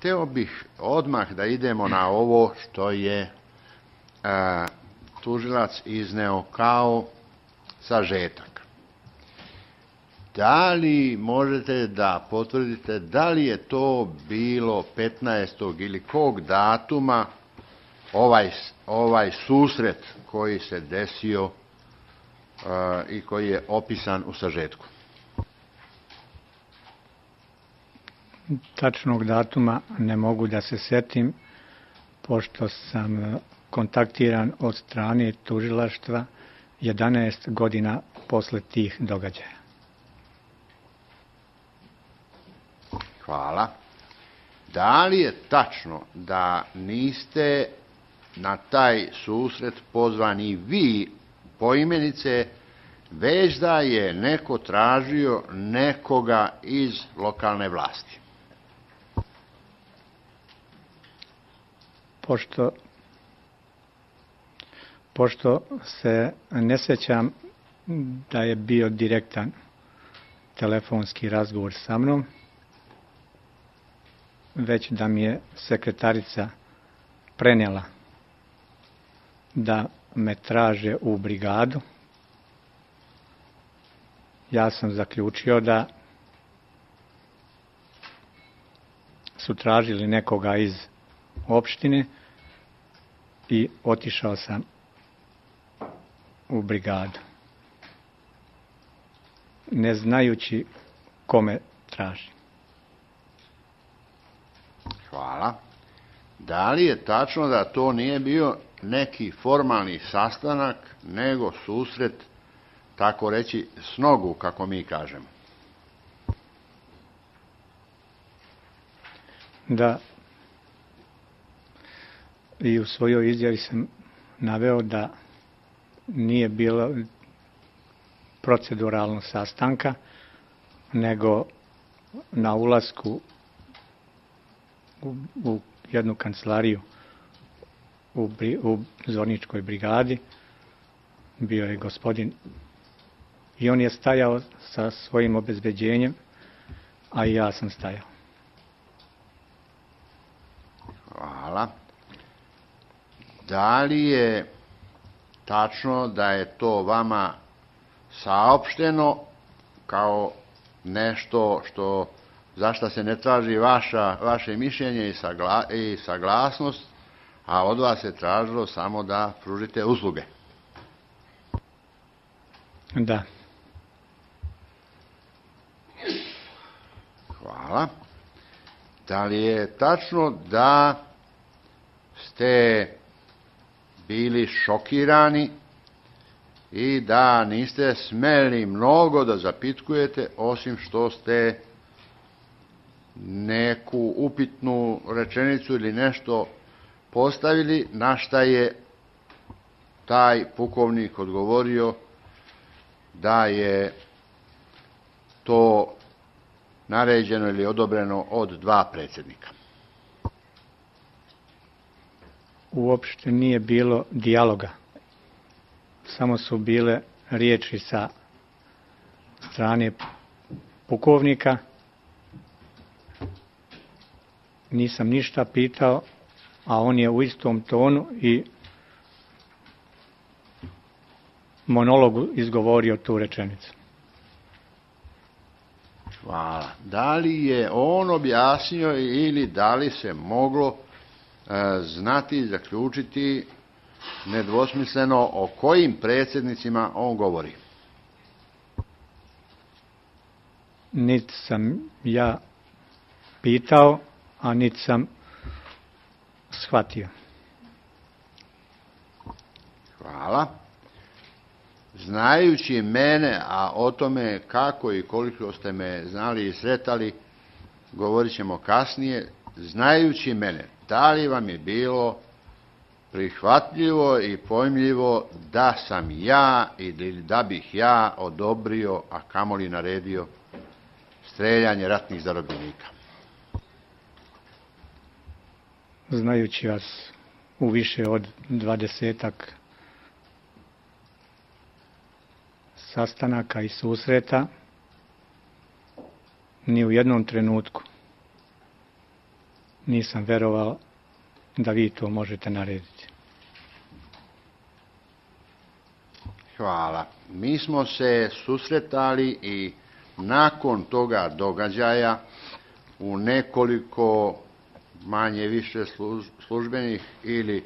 hteo bih odmah da idemo na ovo što je tužilac izneo kao sažetak. Da li možete da potvrdite da li je to bilo 15. ili kog datuma ovaj susret koji se desio i koji je opisan u sažetku? Tačnog datuma ne mogu da se setim, pošto sam kontaktiran od strane tužilaštva 11 godina posle tih događaja. Hvala. Da li je tačno da niste na taj susret pozvani vi poimenice, već da je neko tražio nekoga iz lokalne vlasti? Pošto se ne sećam da je bio direktan telefonski razgovor sa mnom, već da mi je sekretarica prenijela da me traže u brigadu, ja sam zaključio da su tražili nekoga iz opštine i otišao sam u brigadu, ne znajući kome traži. Hvala. Da li je tačno da to nije bio neki formalni sastanak, nego susret, tako reći, s nogu, kako mi kažemo? Da, i u svojoj izjavi sam naveo da nije bilo proceduralno sastanka, nego na ulasku u jednu kancelariju u Zorničkoj brigadi bio je gospodin i on je stajao sa svojim obezbeđenjem, a i ja sam stajao. Hvala. Da li je tačno da je to vama saopšteno kao nešto za što se ne traži vaše mišljenje i saglasnost, a od vas je tražilo samo da pružite usluge? Da. Hvala. Da li je tačno da ste bili šokirani i da niste smeli mnogo da zapitkujete, osim što ste neku upitnu rečenicu ili nešto postavili, na šta je taj pukovnik odgovorio da je to naređeno ili odobreno od 2 predsjednika? Uopšte nije bilo dijaloga. Samo su bile riječi sa strane pukovnika. Nisam ništa pitao, a on je u istom tonu i monologu izgovorio tu rečenicu. Hvala. Da li je on objasnio ili da li se moglo znati i zaključiti nedvosmisleno o kojim predsjednicima on govori? Niti sam ja pitao, a niti sam shvatio. Hvala. Znajući mene, a o tome kako i koliko ste me znali i sretali, govorit ćemo kasnije, znajući mene, da li vam je bilo prihvatljivo i pojmljivo da sam ja ili da bih ja odobrio, a kamoli naredio, streljanje ratnih zarobljenika? Znajući vas u više od 20-ak sastanaka i susreta, ni u jednom trenutku nisam verovao da vi to možete narediti. Hvala. Mi smo se susretali i nakon toga događaja u nekoliko manje više službenih ili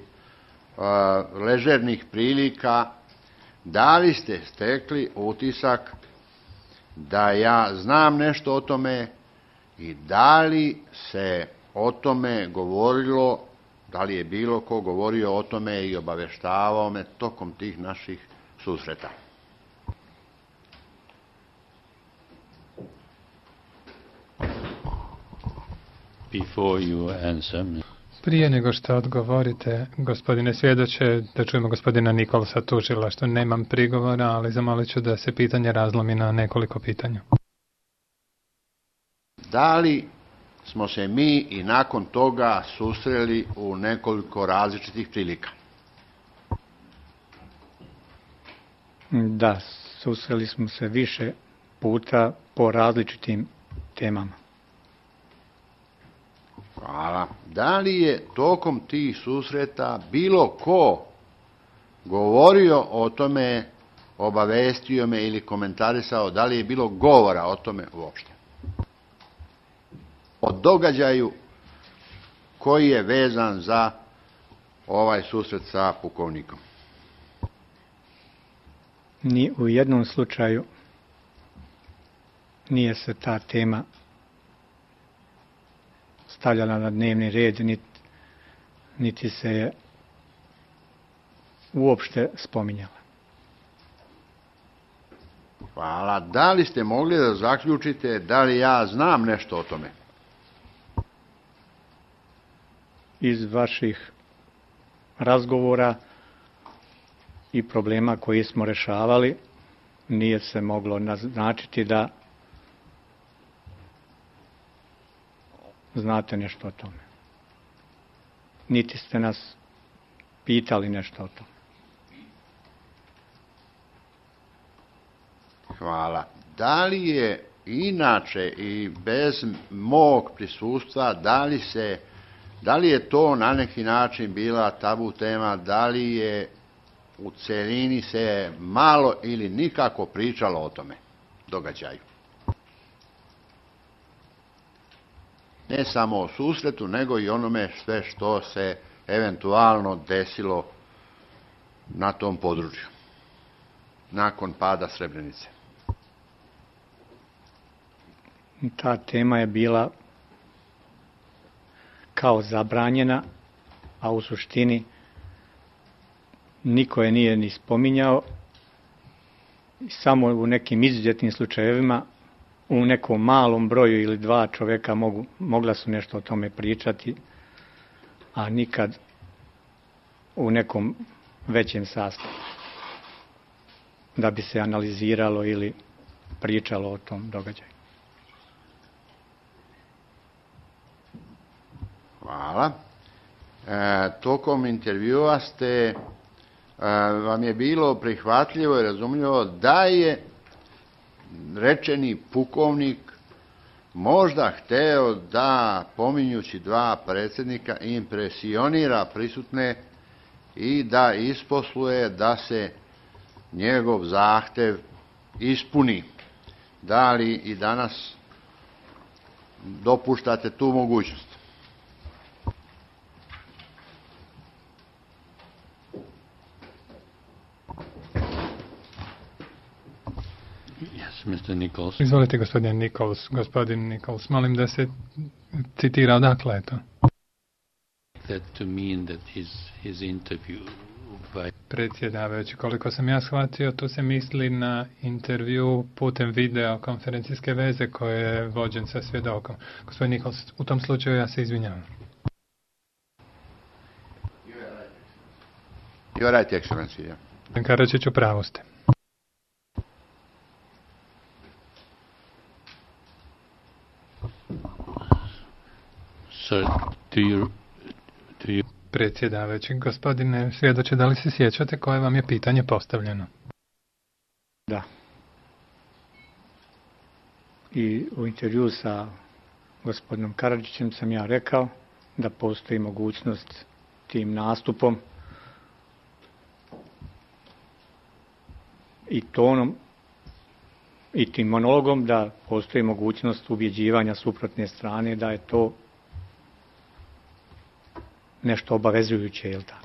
ležernih prilika. Da li ste stekli utisak da ja znam nešto o tome i da li se o tome govorilo, da li je bilo ko govorio o tome i obaveštavao me tokom tih naših susreta? Before you answer. Prije nego što odgovorite, gospodine svjedoče, da čujemo gospodina Nikolsa tužilaštva, nemam prigovora, ali zamolit ću da se pitanje razlomi na nekoliko pitanja. Da li smo se mi i nakon toga susreli u nekoliko različitih prilika? Da, susreli smo se više puta po različitim temama. Hvala. Da li je tokom tih susreta bilo ko govorio o tome, obavestio me ili komentarisao, da li je bilo govora o tome uopšte? O događaju koji je vezan za ovaj susret sa pukovnikom? Ni u jednom slučaju nije se ta tema stavljala na dnevni red, niti se je uopšte spominjala. Hvala. Da li ste mogli da zaključite da li ja znam nešto o tome? Iz vaših razgovora i problema koji smo rešavali, nije se moglo naznačiti da znate nešto o tome. Niti ste nas pitali nešto o tome. Hvala. Da li je inače i bez mog prisustva, da li je to na neki način bila tabu tema, da li je u celini se malo ili nikako pričalo o tome događaju? Ne samo o susretu, nego i onome sve što se eventualno desilo na tom području nakon pada Srebrenice. Ta tema je bila kao zabranjena, a u suštini niko je nije ni spominjao, samo u nekim izuzetnim slučajevima, u nekom malom broju ili dva čoveka mogla su nešto o tome pričati, a nikad u nekom većem sastavu, da bi se analiziralo ili pričalo o tom događaju. Hvala. Tokom intervjua vam je bilo prihvatljivo i razumljivo da je rečeni pukovnik možda hteo da, pominjući dva predsjednika, impresionira prisutne i da isposluje da se njegov zahtev ispuni. Da li i danas dopuštate tu mogućnost? Mr. Nichols. Izvolite, gospodin Nichols. Gospodin Nichols, molim da se citira odakle je to. That to mean that his interview by... Predsjedavajući, koliko sam ja shvatio, tu se misli na intervju putem video konferencijske veze koje je vođen sa svjedokom. Gospodin Nichols, u tom slučaju ja se izvinjavam. You are right, Excellency. Karačić, u pravu ste. So, do you... Predsjedavajući, gospodine svjedoče, da li se sjećate koje vam je pitanje postavljeno? Da. I u intervju sa gospodinom Karadžićem sam ja rekao da postoji mogućnost tim nastupom i tonom i tim monologom da postoji mogućnost ubjeđivanja suprotne strane da je to nešto obavezujuće, jel' tako?